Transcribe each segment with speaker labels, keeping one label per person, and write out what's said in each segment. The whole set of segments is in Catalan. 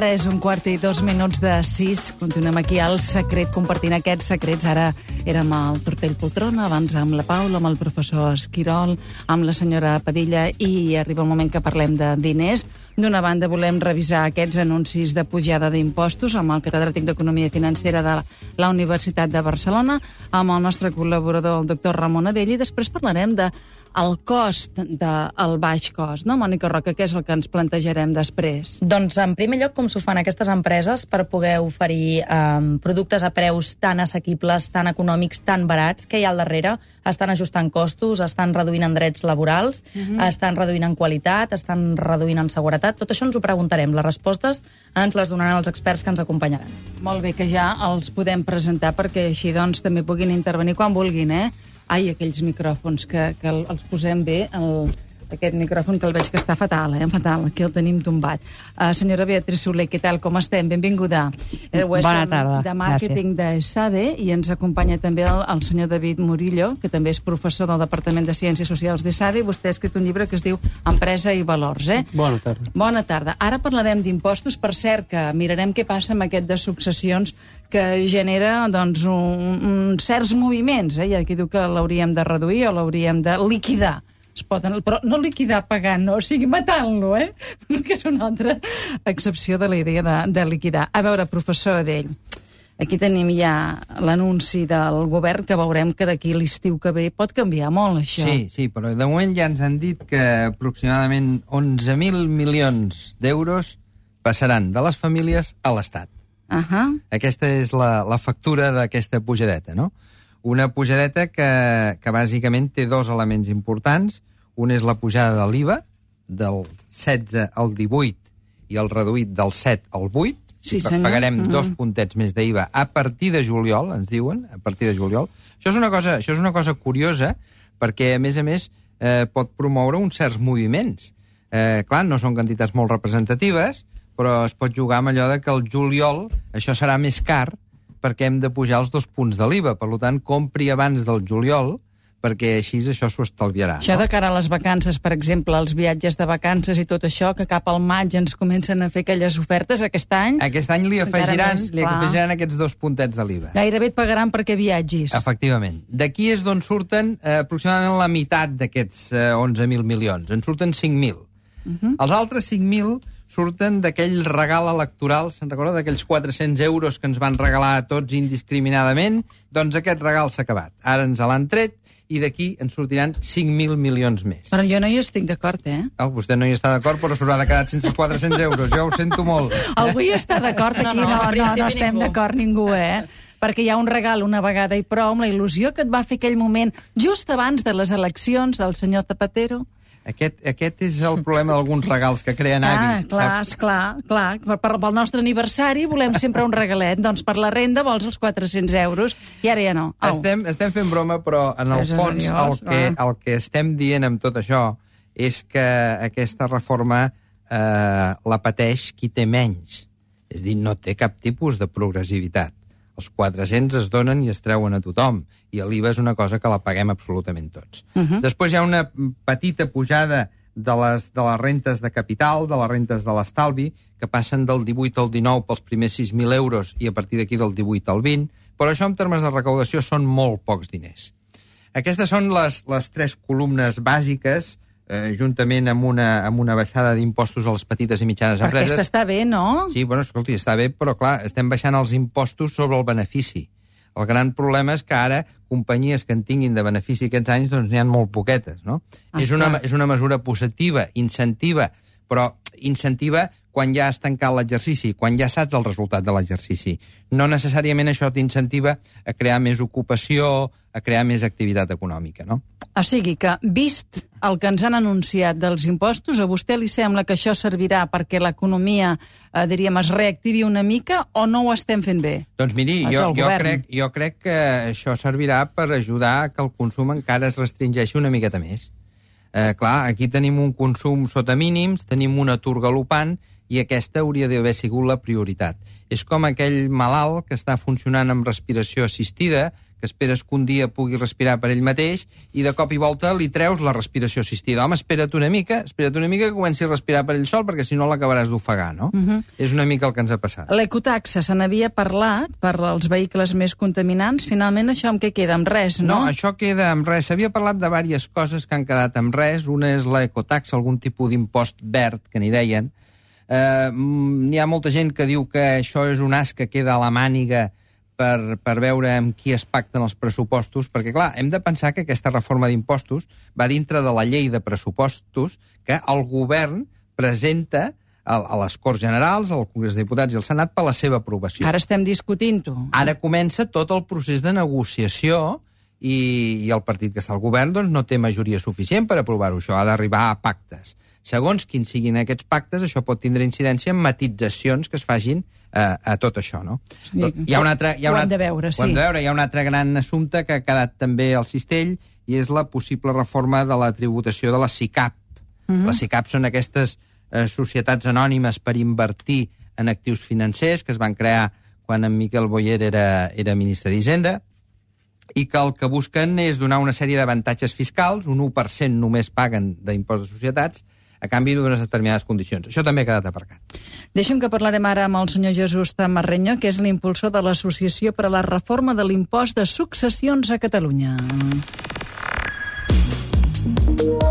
Speaker 1: és 5:15 Continuem aquí al Secret, compartint aquests secrets. Ara érem al Tortell Poltrona, abans amb la Paula, amb el professor Esquirol, amb la senyora Padilla, i arriba el moment que parlem de diners. D'una banda, volem revisar aquests anuncis de pujada d'impostos amb el catedràtic d'Economia Financera de la Universitat de Barcelona, amb el nostre col·laborador, el doctor Ramon Adell, i després parlarem de el cost del baix cost, no, Mònica Roca? Què és el que ens plantejarem després?
Speaker 2: Doncs, en primer lloc, com s'ho fan aquestes empreses per poder oferir productes a preus tan assequibles, tan econòmics, tan barats, que hi ha al darrere? Estan ajustant costos, estan reduint en drets laborals, estan reduint en qualitat, estan reduint en seguretat. Tot això ens ho preguntarem. Les respostes ens les donaran els experts que ens acompanyaran.
Speaker 1: Molt bé, que ja els podem presentar perquè així doncs també puguin intervenir quan vulguin, eh? Ai, aquells micròfons que els posem bé, aquest micròfon que el veig que està fatal, fatal, aquí el tenim tombat. Senyora Beatriz Soler, què tal, com estem? Benvinguda.
Speaker 3: Bona tarda,
Speaker 1: de màrqueting de SADE, i ens acompanya també el senyor David Murillo, que també és professor del Departament de Ciències Socials de SADE, i vostè ha escrit un llibre que es diu Empresa i Valors, eh?
Speaker 3: Bona tarda.
Speaker 1: Bona tarda. Ara parlarem d'impostos, per cert, que mirarem què passa amb aquest de successions que genera, doncs, certs moviments, eh? Hi ha qui diu que l'hauríem de reduir o l'hauríem de liquidar. Però no liquidar pagant, no, o sigui, matant-lo, que és una altra excepció de la idea de liquidar. A veure, professor Adell, aquí tenim ja l'anunci del govern, que veurem que d'aquí l'estiu que ve pot canviar molt, això.
Speaker 4: Sí, però de moment ja ens han dit que aproximadament 11.000 milions d'euros passaran de les famílies a l'Estat. Aquesta és la factura d'aquesta pujadeta, no? Una pujadeta que bàsicament té dos elements importants. Un és la pujada de l'IVA, del 16 al 18 i el reduït del 7 al 8.
Speaker 1: Sí, senyor.
Speaker 4: Pagarem 2 puntets més d'IVA a partir de juliol, ens diuen, a partir de juliol. Això és una cosa curiosa, perquè, a més, pot promoure uns certs moviments. Clar, no són quantitats molt representatives, però es pot jugar amb allò de que el juliol això serà més car perquè hem de pujar els 2 punts de l'IVA. Per tant, compri abans del juliol, perquè així això s'ho estalviarà.
Speaker 1: Això de cara a les vacances, per exemple, els viatges de vacances i tot això, que cap al maig ens comencen a fer aquelles ofertes aquest any...
Speaker 4: Aquest any li afegiran aquests 2 puntets de l'IVA.
Speaker 1: Gairebé et pagaran perquè viatgis.
Speaker 4: Efectivament. D'aquí és d'on surten aproximadament la meitat d'aquests 11.000 milions. En surten 5.000. Els altres 5.000 surten d'aquell regal electoral, se'n recorda, d'aquells 400 euros que ens van regalar a tots indiscriminadament? Doncs aquest regal s'ha acabat. Ara ens l'han tret i d'aquí ens sortiran 5.000 milions més.
Speaker 1: Però jo no hi estic d'acord,
Speaker 4: Vostè no hi està d'acord, però s'haurà de quedar sense 400 euros. Jo ho sento molt.
Speaker 1: Algú hi està d'acord aquí? No estem d'acord ningú, perquè hi ha un regal una vegada i prou, amb la il·lusió que et va fer aquell moment just abans de les eleccions del senyor Zapatero.
Speaker 4: Aquest és el problema d'alguns regals que creen hàbit.
Speaker 1: Clar. Pel nostre aniversari volem sempre un regalet. Doncs per la renda vols els 400 euros i ara ja no.
Speaker 4: Estem fent broma, però en el fons el que estem dient amb tot això és que aquesta reforma la pateix qui té menys. És a dir, no té cap tipus de progressivitat. Els 400 es donen i es treuen a tothom, i l'IVA és una cosa que la paguem absolutament tots. Després hi ha una petita pujada de les rentes de capital, de les rentes de l'estalvi, que passen del 18 al 19 pels primers 6.000 euros i a partir d'aquí del 18 al 20, però això en termes de recaudació són molt pocs diners. Aquestes són les 3 columnes bàsiques, juntament amb una baixada d'impostos a les petites i mitjanes empreses.
Speaker 1: Aquesta està bé, no?
Speaker 4: Sí, escolti, està bé, però clar, estem baixant els impostos sobre el benefici. El gran problema és que ara companyies que en tinguin de benefici aquests anys, doncs n'hi ha molt poquetes, no? És una mesura positiva, incentiva, però incentiva quan ja has tancat l'exercici, quan ja saps el resultat de l'exercici. No necessàriament això t'incentiva a crear més ocupació, a crear més activitat econòmica, no?
Speaker 1: O sigui que, vist el que ens han anunciat dels impostos, a vostè li sembla que això servirà perquè l'economia, diríem, es reactivi una mica o no ho estem fent bé?
Speaker 4: Doncs miri, jo crec que això servirà per ajudar que el consum encara es restringeixi una miqueta més. Clar, aquí tenim un consum sota mínims, tenim un atur galopant i aquesta hauria d'haver sigut la prioritat. És com aquell malalt que està funcionant amb respiració assistida, que esperes que un dia pugui respirar per ell mateix, i de cop i volta li treus la respiració assistida. Home, espera't una mica que comenci a respirar per ell sol, perquè si no l'acabaràs d'ofegar, no? És una mica el que ens ha passat.
Speaker 1: L'ecotaxa se n'havia parlat per als vehicles més contaminants. Finalment, això amb què queda? Amb res, no?
Speaker 4: No, això queda amb res. S'havia parlat de diverses coses que han quedat amb res. Una és l'ecotaxa, algun tipus d'impost verd, que n'hi deien. N'hi ha molta gent que diu que això és un as que queda a la màniga per veure amb qui es pacten els pressupostos, perquè, clar, hem de pensar que aquesta reforma d'impostos va dintre de la llei de pressupostos que el govern presenta a les Corts Generals, al Congrés de Diputats i al Senat per la seva aprovació.
Speaker 1: Ara estem discutint-ho.
Speaker 4: Ara comença tot el procés de negociació i el partit que està al govern doncs, no té majoria suficient per aprovar-ho. Això ha d'arribar a pactes. Segons quins siguin aquests pactes, això pot tindre incidència en matitzacions que es facin a tot això, no?
Speaker 1: Sí, ho hem de veure, sí.
Speaker 4: Ho hem de veure. Hi ha un altre gran assumpte que ha quedat també al cistell i és la possible reforma de la tributació de la SICAP. Les SICAP són aquestes societats anònimes per invertir en actius financers que es van crear quan en Miquel Boyer era ministre d'Hisenda i que el que busquen és donar una sèrie d'avantatges fiscals, un 1% només paguen d'impost de societats, a canvi d'unes determinades condicions. Això també ha quedat aparcat.
Speaker 1: Deixem que parlarem ara amb el senyor Jesús Zamarreño, que és l'impulsor de l'Associació per a la Reforma de l'Impost de Successions a Catalunya.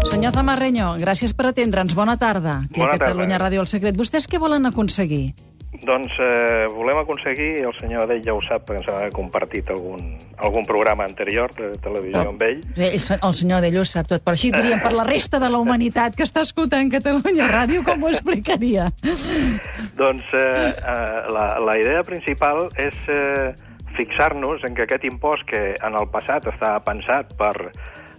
Speaker 1: Senyor Zamarreño, gràcies per atendre'ns. Bona tarda. Aquí a Catalunya Ràdio El Secret. Vostès què volen aconseguir?
Speaker 3: Doncs volem aconseguir, el senyor Adell ja ho sap, perquè ens ha compartit algun programa anterior de televisió amb ell.
Speaker 1: El senyor Adell ho sap tot, però així diríem per la resta de la humanitat que està escoltant Catalunya Ràdio, com ho explicaria?
Speaker 3: Doncs la idea principal és fixar-nos en que aquest impost que en el passat estava pensat per,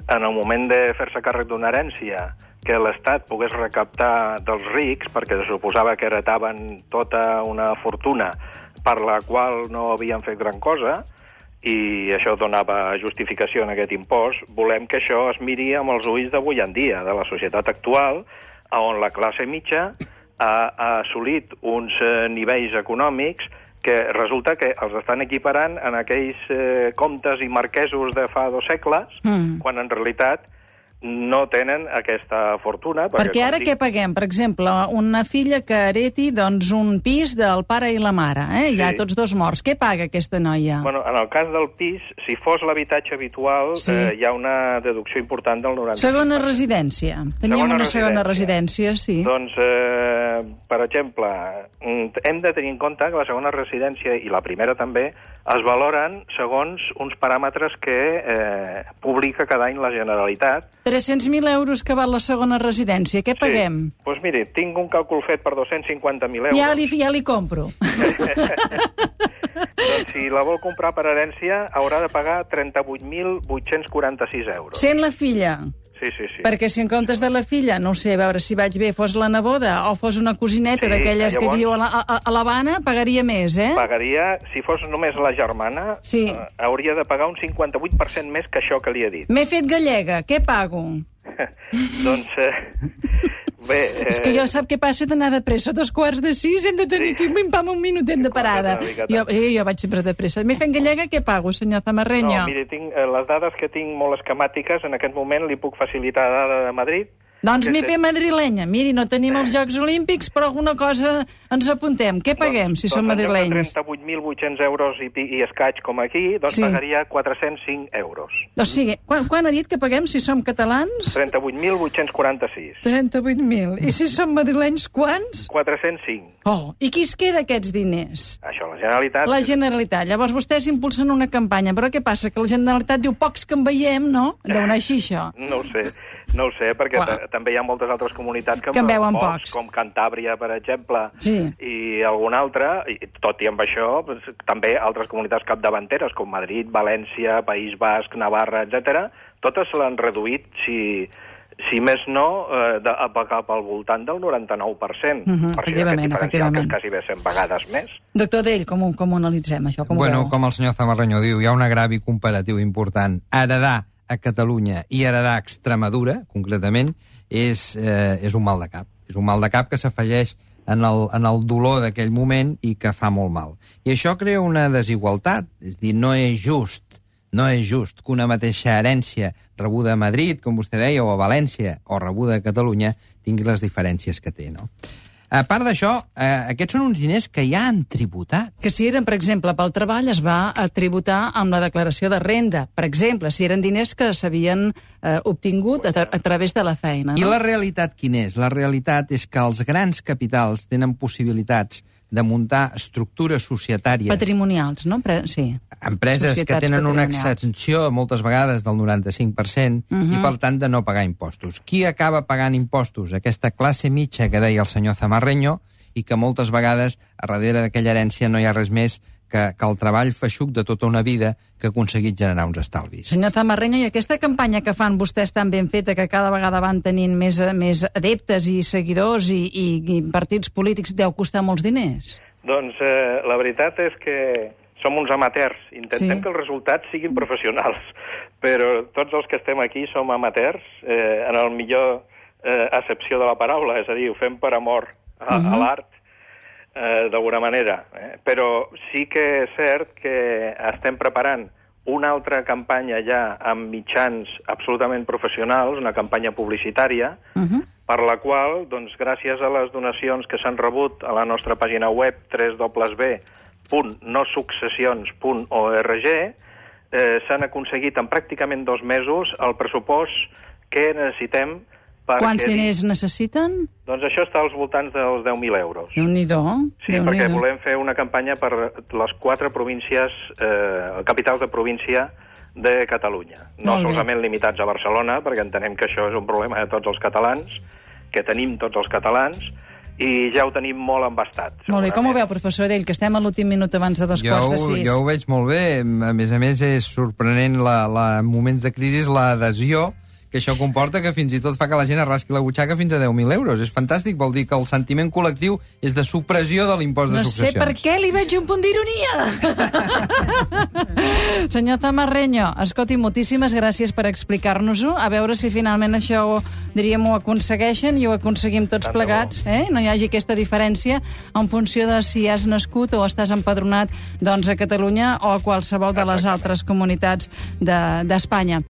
Speaker 3: en el moment de fer-se càrrec d'una herència, que l'Estat pogués recaptar dels rics, perquè se suposava que heretaven tota una fortuna per la qual no havien fet gran cosa, i això donava justificació en aquest impost. Volem que això es miri amb els ulls d'avui en dia, de la societat actual, on la classe mitja ha assolit uns nivells econòmics que resulta que els estan equiparant en aquells comtes i marquesos de fa 2 segles, quan en realitat no tenen aquesta fortuna.
Speaker 1: Perquè ara què paguem? Per exemple, una filla que hereti doncs, un pis del pare i la mare,
Speaker 3: Sí.
Speaker 1: Ja tots dos morts. Què paga aquesta noia?
Speaker 3: Bueno, en el cas del pis, si fos l'habitatge habitual,
Speaker 1: Sí.
Speaker 3: Hi ha una deducció important del 90%.
Speaker 1: Segona residència. Teníem una segona residència, sí.
Speaker 3: Doncs, per exemple, hem de tenir en compte que la segona residència i la primera també es valoren segons uns paràmetres que publica cada any la Generalitat.
Speaker 1: 300.000 euros que val la segona residència. Què paguem?
Speaker 3: Sí. Doncs miri, tinc un càlcul fet per 250.000 euros.
Speaker 1: Ja li compro.
Speaker 3: Doncs si la vol comprar per herència, haurà de pagar 38.846 euros.
Speaker 1: Sent la filla.
Speaker 3: Sí.
Speaker 1: Perquè si en comptes de la filla, no sé, a veure si vaig bé, fos la neboda o fos una cosineta d'aquelles que viu a l'Havana, pagaria més,
Speaker 3: Pagaria, si fos només la germana,
Speaker 1: sí.
Speaker 3: Hauria de pagar un 58% més que això que li he dit.
Speaker 1: M'he fet gallega, què pago?
Speaker 3: Doncs, bé...
Speaker 1: És que jo sap què passa d'anar de pressa, 5:45, hem de tenir aquí un minutet de parada. Jo vaig sempre de pressa. M'he fet gallega, què pago, senyor Zamarreño?
Speaker 3: No, miri, tinc les dades que tinc molt esquemàtiques, en aquest moment li puc facilitar la dada de Madrid.
Speaker 1: Doncs m'he fet madrilenya. Miri, no tenim els Jocs Olímpics, però alguna cosa ens apuntem. Què paguem, si som madrilenys?
Speaker 3: Doncs 38.800 euros i escaig com aquí, doncs pagaria 405 euros.
Speaker 1: O sigui, quan ha dit que paguem si som catalans?
Speaker 3: 38.846.
Speaker 1: 38.000. I si som madrilenys, quants?
Speaker 3: 405.
Speaker 1: Oh, i qui es queda aquests diners?
Speaker 3: Això, la Generalitat.
Speaker 1: La Generalitat. Llavors vostès impulsen una campanya, però què passa? Que la Generalitat diu pocs que en veiem, no? Deu anar així, això.
Speaker 3: No ho sé, perquè també hi ha moltes altres comunitats que
Speaker 1: en veuen pocs,
Speaker 3: com Cantàbria, per exemple,
Speaker 1: sí.
Speaker 3: I alguna altra, i tot i amb això, també altres comunitats capdavanteres, com Madrid, València, País Basc, Navarra, etc. Totes l'han reduït, si més no, cap al voltant del 99%.
Speaker 1: Efectivament.
Speaker 3: Que és quasi bé 100 vegades més.
Speaker 1: Doctor Dell, com ho analitzem, això? Com
Speaker 4: el senyor Zamarreño diu, hi ha un agravi comparatiu important. Heredar a Catalunya i heredar a Extremadura, concretament, és un mal de cap. És un mal de cap que s'afegeix en el dolor d'aquell moment i que fa molt mal. I això crea una desigualtat. És dir, no és just No és just que una mateixa herència rebuda a Madrid, com vostè deia, o a València, o rebuda a Catalunya, tingui les diferències que té, no? A part d'això, aquests són uns diners que ja han tributat.
Speaker 1: Que si eren, per exemple, pel treball, es va tributar amb la declaració de renda. Per exemple, si eren diners que s'havien obtingut a través de la feina. No?
Speaker 4: I la realitat quina és? La realitat és que els grans capitals tenen possibilitats de muntar estructures societàries...
Speaker 1: Patrimonials, no? Sí.
Speaker 4: Empreses que tenen una exenció, moltes vegades, del 95%, i, per tant, de no pagar impostos. Qui acaba pagant impostos? Aquesta classe mitja que deia el senyor Zamarreño, i que moltes vegades, a darrere d'aquella herència, no hi ha res més que el treball feixuc de tota una vida que ha aconseguit generar uns estalvis.
Speaker 1: Senyor Zamarreño, i aquesta campanya que fan vostès tan ben feta, que cada vegada van tenint més adeptes i seguidors i partits polítics, deu costar molts diners?
Speaker 3: Doncs la veritat és que som uns amateurs. Intentem que els resultats siguin professionals, però tots els que estem aquí som amateurs, en el millor accepció de la paraula, és a dir, ho fem per amor a l'art, d'alguna manera. Però sí que és cert que estem preparant una altra campanya ja amb mitjans absolutament professionals, una campanya publicitària, per la qual, doncs, gràcies a les donacions que s'han rebut a la nostra pàgina web www.nosuccessions.org, s'han aconseguit en pràcticament 2 mesos el pressupost que necessitem.
Speaker 1: Quants diners necessiten?
Speaker 3: Doncs això està als voltants dels 10.000 euros.
Speaker 1: Déu-n'hi-do.
Speaker 3: Sí, perquè volem fer una campanya per les 4 províncies, capitals de província de Catalunya. No solament limitats a Barcelona, perquè entenem que això és un problema de tots els catalans, que tenim tots els catalans, i ja ho tenim molt embastat.
Speaker 1: Molt bé, com ho veu, professor Edell, que estem a l'últim minut abans de 5:45?
Speaker 4: Jo ho veig molt bé. A més, és sorprenent en moments de crisi l'adhesió que això comporta, que fins i tot fa que la gent arrasqui la butxaca fins a 10.000 euros. És fantàstic, vol dir que el sentiment col·lectiu és de supressió de l'impost de successions.
Speaker 1: No sé per què li veig un punt d'ironia. Senyor Zamarreño, escolti, moltíssimes gràcies per explicar-nos-ho. A veure si finalment això, diríem, ho aconsegueixen i ho aconseguim tots plegats. No hi hagi aquesta diferència en funció de si has nascut o estàs empadronat, doncs, a Catalunya o a qualsevol de les altres comunitats d'Espanya.